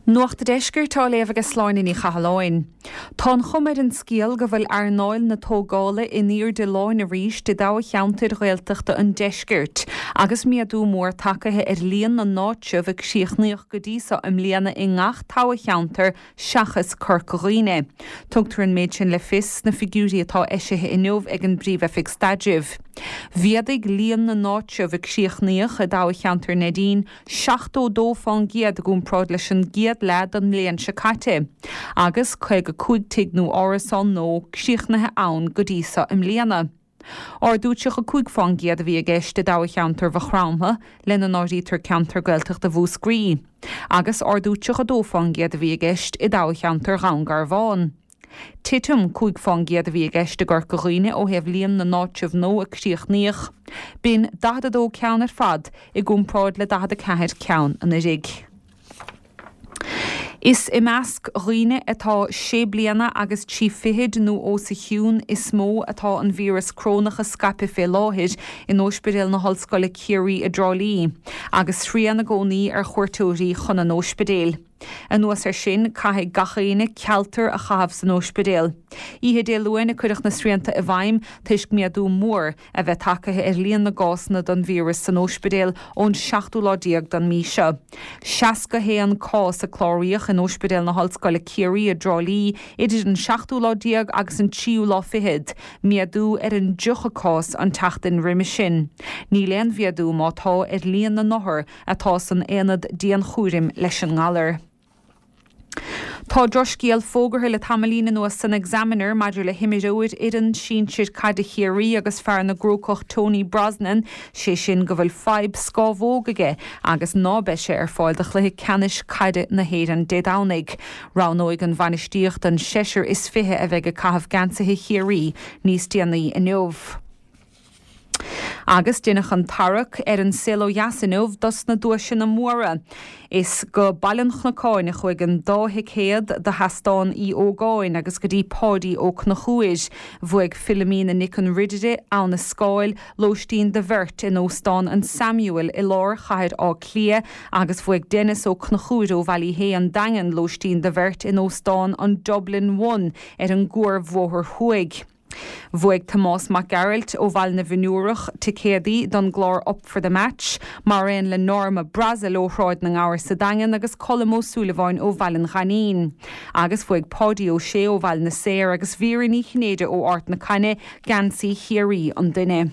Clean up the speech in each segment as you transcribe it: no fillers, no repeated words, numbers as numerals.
Nuacht an Deiscirt á léamh ag Sláine Ní Chathalláin. Tá an chuma ar an scéal go bhfuil earnáil na tógála in airde láin arís i dtoghcheantair Ghaeltachta an deiscirt agus méadú mór tagtha ar líon na n-áitreabh a críochnaíodh go dtí so i mbliana i ngach toghcheantar seachas Corca Dhuibhne. Tugtar an méid sin le fios sna figiúirí atá eisithe inniu ag an bPríomh-Oifig Staidrimh. Mhéadaigh líon na n-áitreabh a críochnaíodh i dtoghcheantar Neidín 72% i gcomparáid leis an gcéad leath den mbliain seo caite, agus 55 tigh nó árasán nua críochnaithe ann go dtí so i mbliana. Ardú 35% a bhí i gceist i dtoghcheantar Mhaigh Chromtha, lena n-áirítear ceantar Gaeltachta Mhúscraí, agus ardú 32% a bhí i gceist i dtoghcheantar Dhún Garbhán. Titim 5% a bhí i gceist i gCorca Dhuibhne ó thaobh líon na n-áitreabh nua a críochnaíodh. B'in 42 ceann ar fad i gcomparáid le 44 ceann anuraidh. Is i measc dhaoine atá sé bliana agus trí fichid nó os a chionn is mó atá an víreas corónach ag scaipeadh fé láthair in Óispidéal na hOllscoile Ciarraí i dTrá Lí, agus srian i gcónaí ar chuairteoirí chun an óispidéil. Anuas air sin, caithfidh gach éinne cealtar a chaitheamh san óispidéal. Oíche Dé Luain a cuireadh na srianta i bhfeidhm toisc méadú mór a bheith tagtha ar líon na gcásanna don víreas san óispidéal ón seachtú lá déag den mí seo. 61 cás a cláraíodh in Óispidéal na hOllscoile Ciarraí i dTrá Lí idir an seachtú lá déag agus an tríú lá fichead, méadú ar an dtríocha cás an tseachtain roimis sin. Níl aon mhéadú má tá ar líon na n-othar atá san aonad dianchúraim leis an ngalar. Tá drochscéal fógartha le tamaillín anuas san Examiner maidir le himreoir fhoireann sinsir caide Chiarraí agus fear na gCrócach Tony Brosnan, sé sin go bhfuil fadhb scámhóg aige agus ná beidh sé ar fáil do chluiche ceannais caide na hÉireann Dé Domhnaigh. Roghnóidh an bhainistíocht an seisear is 20 a bheidh ag caitheamh geansaithe Chiarraí níos déanaí inniu. Agus deineadh an tarrac ar an saol ó dheas inniu dos na duaiseanna móra. Is go Baile an Chnocáin a chuaigh an dá thicéad do Sheastán Uí Ógáin agus go dtí Páidí Ó Conchúir. Bhuaigh Philomena Nic an Ridire, Abha na Scáil, lóistín do bheirt in Óstán an Samuel i lár chathair Átha Cliath agus bhuaigh Denis Ó Conchúir ó Bhallyhea, An Daingean, lóistín do bheirt in Óstán an Dublin One ar an gCuarbhóthar Thuaidh. Bhuaigh Tomás Mac Gearailt ó Bhaile na bhFionnúrach ticéadaí don gclár Up for the Match, mar aon le Norma Brassil ó Shráid na nGabhar sa Daingean agus Colm Ó Súilleabháin ó Bhaile an Ghainín. Agus bhuaigh Páidí Ó Sé ó Bhaile na Saor agus Vera Ní Chinnéide ó Ard na Caithne geansaí Chiarraí an duine.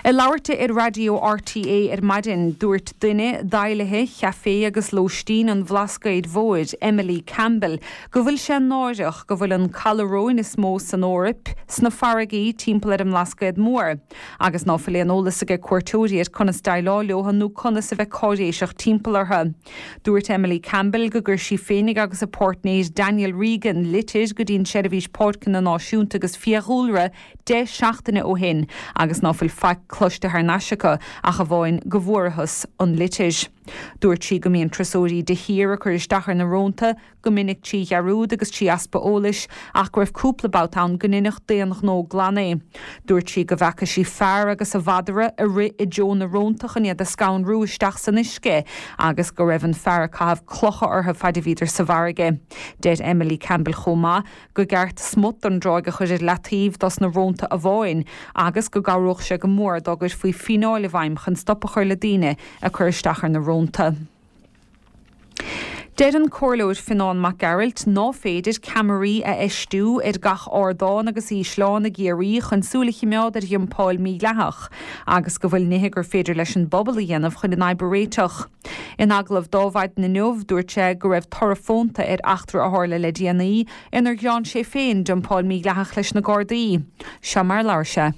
Ag labhairt di ar raidió RTÉ ar maidin, dúirt duine d'fheighlithe Chaifé agus Lóistín an Bhlascaoid Mhóir, Emily Campbell, go bhfuil sé náireach go bhfuil an caladh róin is mó san Eoraip sna farraigí timpeall ar an mBlascaod Mór agus ná fuil aon eolas aige cuairteoirí ar conas déileáil leo nó conas a bheith cáiréiseach timpeall orthu. Dúirt Emily Campbell go gcuir sí féinig agus a páirtnéir Daniel Regan litir go dtí an tSeirbhís Páirceanna Náisiúnta agus Fiadhúlra 10 seachtaine ó shin agus ná fuil faic cloiste thar n-ais acu ach amháin go bhfuarathas an litir. Dúirt sí go mbíonn turasóirí de shíor ag cur isteach ar na rónta, go minic trí dhearúd agus trí easpa eolais, ach go raibh cúpla babhta ann go ndeineadh d'aon ghnó glan é. Dúirt sí go bhfeaca sí fear agus a mhadra ag rith i dtreo na rónta chun iad a scanrú isteach san uisce agus go raibh an fear ag caitheamh clocha orthu faid a bhíodar sa bhfarraige. Deir Emily Campbell chomh maith go gceart smut don dtráigh a chur ar leataobh dos na rónta amháin agus go gcabhródh sé go mór dá gcuirfí fíneáil i bhfeidhm chun stop a chur le daoine ag cur isteach ar na rónta. Deir an Comhairleoir Fionán Mac Gearailt ná féidir ceamaraí a fheistiú ar gach ardán agus ísleán i gCiarraí chun súil a chimeád ar dhumpáil mhídhleathach agus go bhfuil nithe gur féidir leis an bpobal a dhéanamh chun an fhadhb a réiteach. In agallamh dó maidin inniu, dúirt sé go raibh toradh fónta ar eachtra a tharla le déanaí inar ghearán sé féin dumpáil mhídhleathach leis na Gardaí. Seo mar a labhair sé.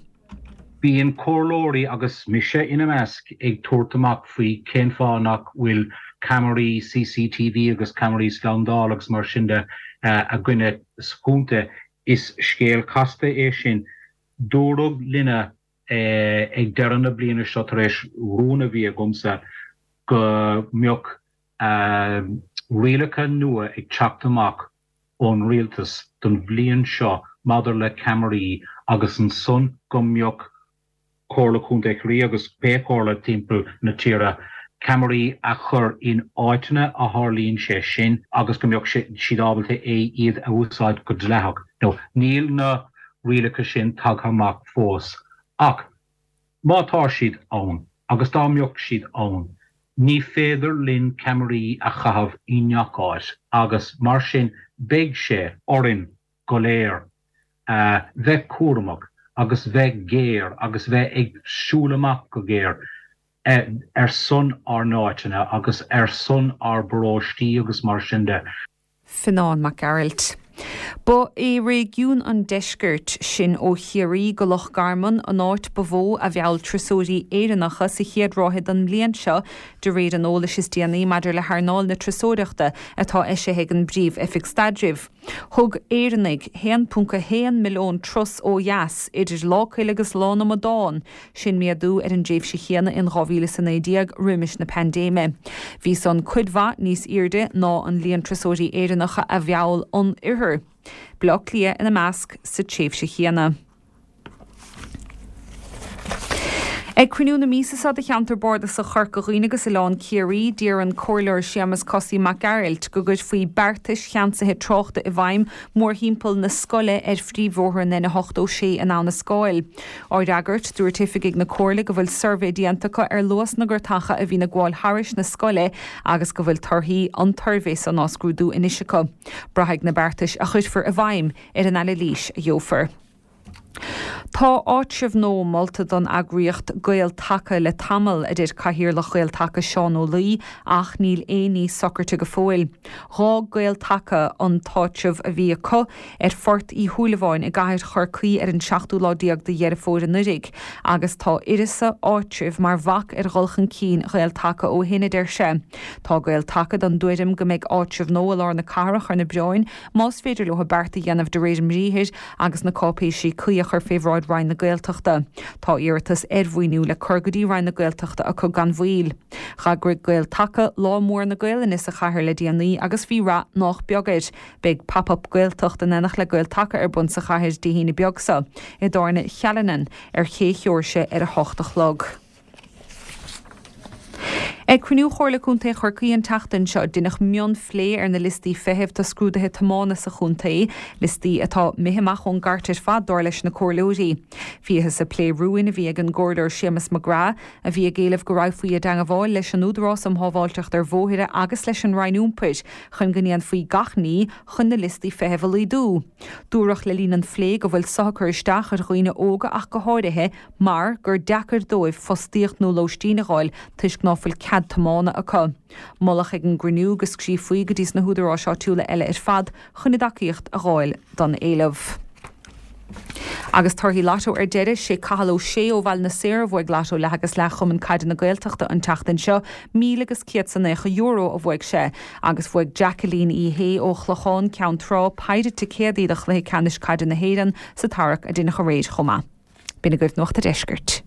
Bíonn comhairleoirí, agus mise ina measc, ag tabhairt amach faoi cén fáth nach bhfuil ceamaraí CCTV agus ceamaraí slándála agus mar sin de againne sa chontae. Is scéal casta é sin. Dúradh linne ag deireadh na bliana seo tar éis rún a bhí agamsa go mbeadh rialacha nua ag teacht amach ón rialtas don bhliain seo maidir le ceamaraí agus ansan go mbeadh Comhairle Contae Chiarraí agus pé comhairle timpeall na tíre. ceamaraí a chur in áiteanna a tharlaíonn sé sin agus go mbeadh siad ábalta é iad a úsáid go dleathach. Now níl na rialacha sin tagtha amach fós ach má tá siad ann agus dá mbeadh siad ann ní féidir linn ceamaraí a chaitheamh i ngach áit agus mar sin beidh sé orainn go léir bheith cúramach agus bheith géar agus bheith ag siúl amach go géar ar son ár n-áiteanna agus ar son ár bparóistí agus mar sin de. Fionán Mac Gearailt. Ba é réigiún an deiscirt, sin ó Chiarraí go Loch Garman, an áit ba mhó a mheall turasóirí Éireannacha sa chéad ráithe den mbliain seo, de réir an eolais is déanaí maidir le hearnáil na turasóireachta atá eisithe ag an bPríomh-Oifig Staidrimh. Thug Éireannaigh 1.1 milliún turas ó dheas idir Lá Coille agus Lá na Amadán, sin méadú ar an dtréimhse chéanna in 2019 roimis na paindéime. Bhí san cuid mhaith níos airde ná an líon turasóirí Éireannacha a mheall an oirthear, Baile Átha Cliath ina measc, sa tréimhse chéanna. Ag cruinniú na míosa seo de Cheantar Bardasach Chorca Dhuibhne agus Oileán Ciarraí, d'iarr an Comhairleoir Séamus Cosaí Mac Gearailt go gcuirfí beartais cheansaithe tráchta i bhfeidhm mórthimpeall na scoile ar phríomhbhóthar an N86 in Abha na Scáil. Á fhreagairt, dúirt oifigigh na Comhairle go bhfuil suirbhé déanta acu ar luas na gcartacha a bhíonn ag gabháil thairis na scoile agus go bhfuil torthaí an tsuirbhé san á scrúdú anois acu. Braithfidh na beartais a chuirfear i bhfeidhm ar an anailís a gheofar. Tá áitreabh nua molta don eagraíocht Gael Taca le tamall, a deir Cathaoirleach Ghael Taca Seán Ó Laoi, ach níl aon ní socraite go fóill. Dh'fhág Gael Taca an t-áitreabh a bhí acu ar Phort Uí Shúilleabháin i gcathair Chorcaí ar an seachtú lá déag de Dheireadh Fómhair anuraidh agus tá uireasa áitribh mar bhac ar dhul chun cinn Ghael Taca ó shin, a deir sé. Tá Gael Taca den dtuairim go mbeidh áitreabh nua i lár na cathrach ar na bioráin más féidir leo beart a dhéanamh de réir a mbriathair agus na cáipéisí cuí a chur fé bhráid Roinn na Gaeltachta. Tá iarratas ar mhaoiniú le cur go dtí Roinn na Gaeltachta acu gan mhoill. Dh'eagraigh Gael Taca Lá Mór na Gaelainne sa chathair le déanaí agus bhí rath nách beag air. Beidh Pop Up Gaeltacht in éineacht le Gael Taca ar bun sa chathair Dé hAoine beag seo, i dTábhairne Challinan ar Ché Sheoirse ar 8 a chlog. Ag cruinniú Chomhairle Contae Chorcaí an tseachtain seo, deineadh mionphlé ar na liostaí feithimh do scrúduithe tiomána sa chontae, liostaí atá imithe amach ón gcairt ar fad, dar leis na comhairleoirí. Bhíothas ag plé rúin a bhí ag an gComhairleoir Séamus McGrath, a bhí ag éileamh go raghfaí i dteangmháil leis an Údarás um Shábháilteacht ar Bhóithre agus leis an Roinn Iompair chun go ndéanfaí gach ní chun na liostaí feithimh a laghdú. Dúradh le linn an phlé go bhfuil so ag cur isteach ar dhaoine óga ach go háirithe, mar gur deacair dóibh fostaíocht nó lóistín a dh'fháil toisc ná fuil cead tiomána acu. Moladh ag an gcruinniú go scríofaí go dtí sna húdaráis áitiúla eile ar fad chun a dtacaíocht a dh'fháil don éileamh. Agus torthaí Lotto ar deireadh, sé Cathal Ó Sé ó Bhaile na Saor a bhuaigh Lotto leath agus leath Chumann Caide na Gaeltachta an tseachtain seo, €1,190 a bhuaigh sé. Agus bhuaigh Jacqueline Uí Shé ó Chlochán Ceann Trá péire ticéadaí do Chluiche Ceannais Caide na hÉireann sa tarrac a deineadh aréir chomh maith. B'in agaibh Nuacht a' Deiscirt.